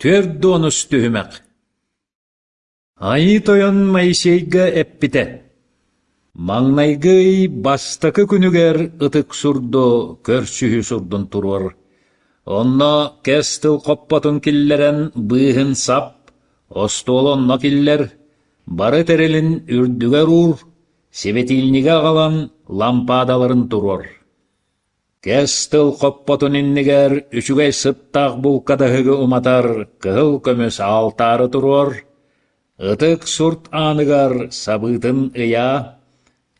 Түөрт уонус түһүмэх Айыы Тойон Моисейга эппитэ: «Маҥнайгы ый бастакы күнүгэр ытык сурду көрсүһүү сурдун туруор. Онно кэс тыл хоппотун киллэрэн быыһын сап, остуолу онно киллэр, бары тэрилин үрдүгэр уур, сибэтиинньиги аҕалан лампаадаларын туруор. Кэс тыл хоппотун иннигэр үчүгэй сыттаах булкадаһыгы уматар кыһыл көмүс аалтаары туруор, ытык сурт ааныгар сабыытын ыйаа,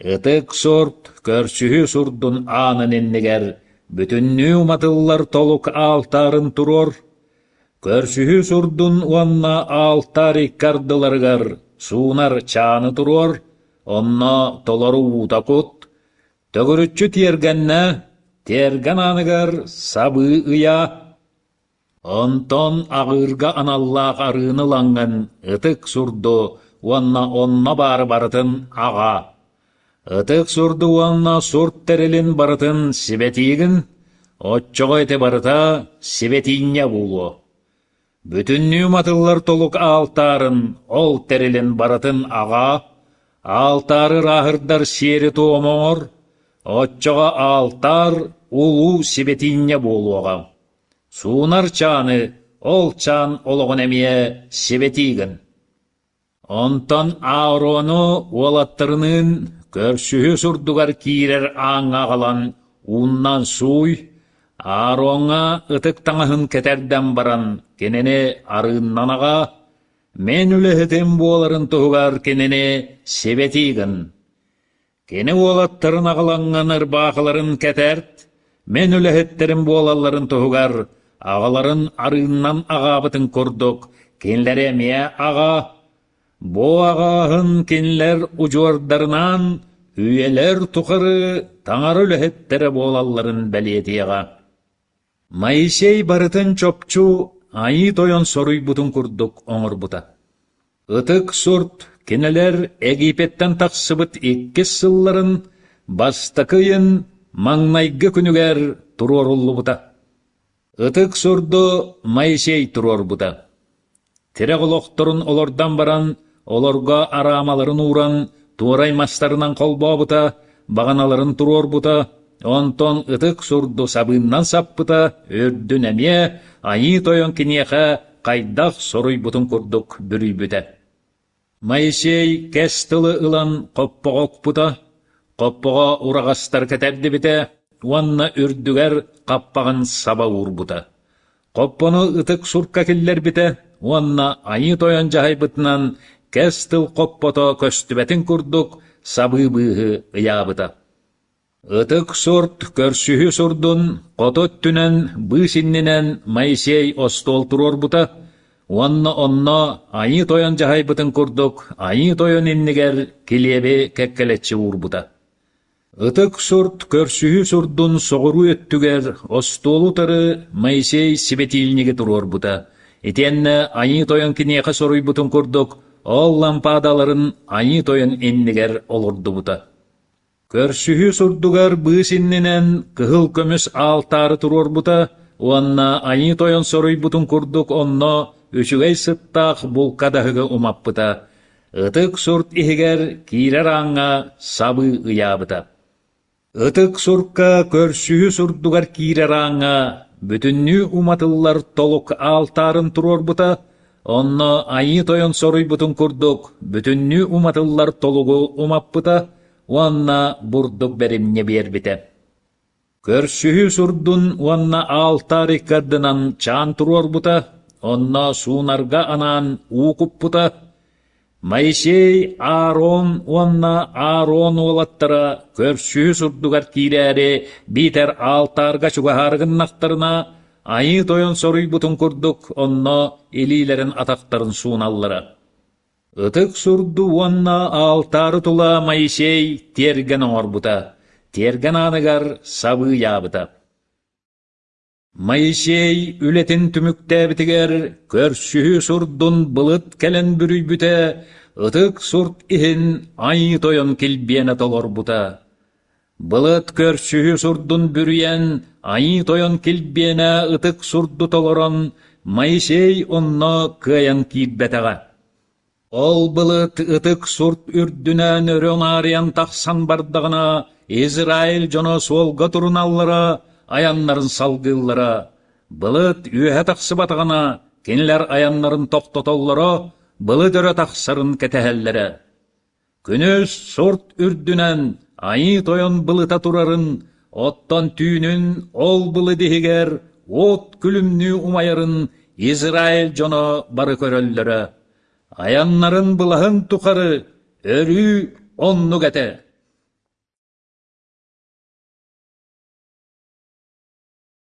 ытык сурт көрсүһүү сурдун аанын иннигэр бүтүннүү уматыллар толук аалтаарын туруор, көрсүһүү сурдун уонна аалтаар икки ардыларыгар суунар чааны туруор, онно толору уута кут, Төгүрүччү тиэргэннэ, тиэргэн ааныгар сабыы ыйаа, онтон аҕыырга аналлаах арыыны ылаҥҥын ытык сурду уонна онно баары барытын аҕаа. Ытык сурду уонна сурт тэрилин барытын сибэтиигин, оччоҕо ити барыта сибэтиинньэ буолуо. Бүтүннүү матыллар толук аалтаарын, ол тэрилин барытын аҕаа, аалтаары ырааһырдар сиэри-туому оҥор, оччоҕо аалтаар улуу сибэтиинньэ буолуоҕа. Суунар чааны, ол чаан олоҕун эмиэ сибэтии гын. Онтон Аарону уолаттарыныын көрсүһүү сурдугар киирэр ааҥҥа аҕалан ууннан сууй, Аароҥҥа ытык таҥаһын кэтэрдэн баран кинини арыыннан аҕа, мин үлэһитим буоларын туһугар кинини сибэтии гын. Кини уолаттарын аҕалаҥҥын ырбаахыларын кэтэрт, мин үлэһиттэрим буолалларын туһугар аҕаларын арыыннан аҕаабытын курдук кинилэри эмиэ аҕа, бу аҕааһын кинилэр удьуордарынаан үйэлэр тухары таҥара үлэһиттэрэ буолалларын бэлиэтиэҕэ. Моисей барытын чопчу Айыы Тойон соруйбутун курдук оҥорбута. Ытык сурт кинилэр Египеттэн тахсыбыт иккис сылларын бастакы ыйын маҥнайгы күнүгэр туруоруллубута. Ытык сурду Моисей туруорбута. Тирэх олохторун олордон баран, олорго араамаларын ууран, туорай мастарынан холбообута, баҕаналарын туруорбута, онтон ытык сурду сабыыннан саппыта, үрдүн эмиэ Айыы Тойон киниэхэ хайдах соруйбутун курдук бүрүйбүтэ. Моисей кэс тылы ылан хоппоҕо укпута, хоппоҕо ураҕастар кэтэрдибитэ уонна үрдүгэр хаппаҕын саба уурбута. Хоппону ытык сурка киллэрбитэ уонна Айыы Тойон дьаһайбытынан кэс тыл хоппото көстүбэтин курдук сабыы быыһы ыйаабыта. Ытык сурт көрсүһүү сурдун хоту өттүнэн быыс иннинэн Моисей остуол туруорбута уонна онно Айыы Тойон дьаһайбытын курдук Айыы Тойон иннигэр килиэби кэккэлэччи уурбута. Ытык сурт көрсүһүү сурдун соҕуруу өттүгэр остуолу утары Моисей сибэтиилниги туруорбута, итиэннэ Айыы Тойон киниэхэ соруйбутун курдук ол лампаадаларын Айыы Тойон иннигэр олордубута. Көрсүһүү сурдугар быыс иннинэн кыһыл көмүс аалтаары туруорбута уонна Айыы Тойон соруйбутун курдук онно үчүгэй сыттаах булкадаһыгы умаппыта, ытык сурт иһигэр киирэр ааҥҥа сабыы ыйаабыта. Ытык сурка көрсүһүү сурдугар киирэр ааҥҥа бүтүннүү уматыллар толук аалтаарын туруорбута, онно Айыы Тойон соруйбутун курдук бүтүннүү уматыллар толугу умаппыта уонна бурдук бэримньи биэрбитэ. Көрсүһүү сурдун уонна аалтаар икки ардынан чаан туруорбута, онно суунарга анаан уу куппута, Моисей, Аарон уонна Аарон уолаттара көрсүһүү сурдугар киирээри биитэр аалтаарга чугаһаары гыннахтарына, Айыы Тойон соруйбутун курдук онно илиилэрин атахтарын сууналлара. Ытык сурду уонна аалтаары тула Моисей тиэргэн оҥорбута, тиэргэн ааныгар сабыы ыйаабыта. Моисей үлэтин түмүктээбитигэр көрсүһүү сурдун былыт кэлэн бүрүйбүтэ, ытык сурт иһин Айыы Тойон килбиэнэ толорбута. Былыт көрсүһүү сурдун бүрүйэн, Айыы Тойон килбиэнэ ытык сурду толорон, Моисей онно кыайан киирбэтэҕэ. Ол былыт ытык сурт үрдүнэн өрө унаарыйан тахсан бардаҕына, Израиль дьоно суолга туруналлара, айаннарын салгыыллара. Былыт үөһэ тахсыбатаҕына, кинилэр айаннарын тохтотоллоро, былыт өрө тахсарын кэтэһэллэрэ. Күнүс сурт үрдүнэн Айыы Тойон былыта турарын, оттон түүнүн ол былыт иһигэр уот күлүмнүү умайарын Израиль дьоно бары көрөллөрө. Айаннарын былаһын тухары өрүү оннук этэ.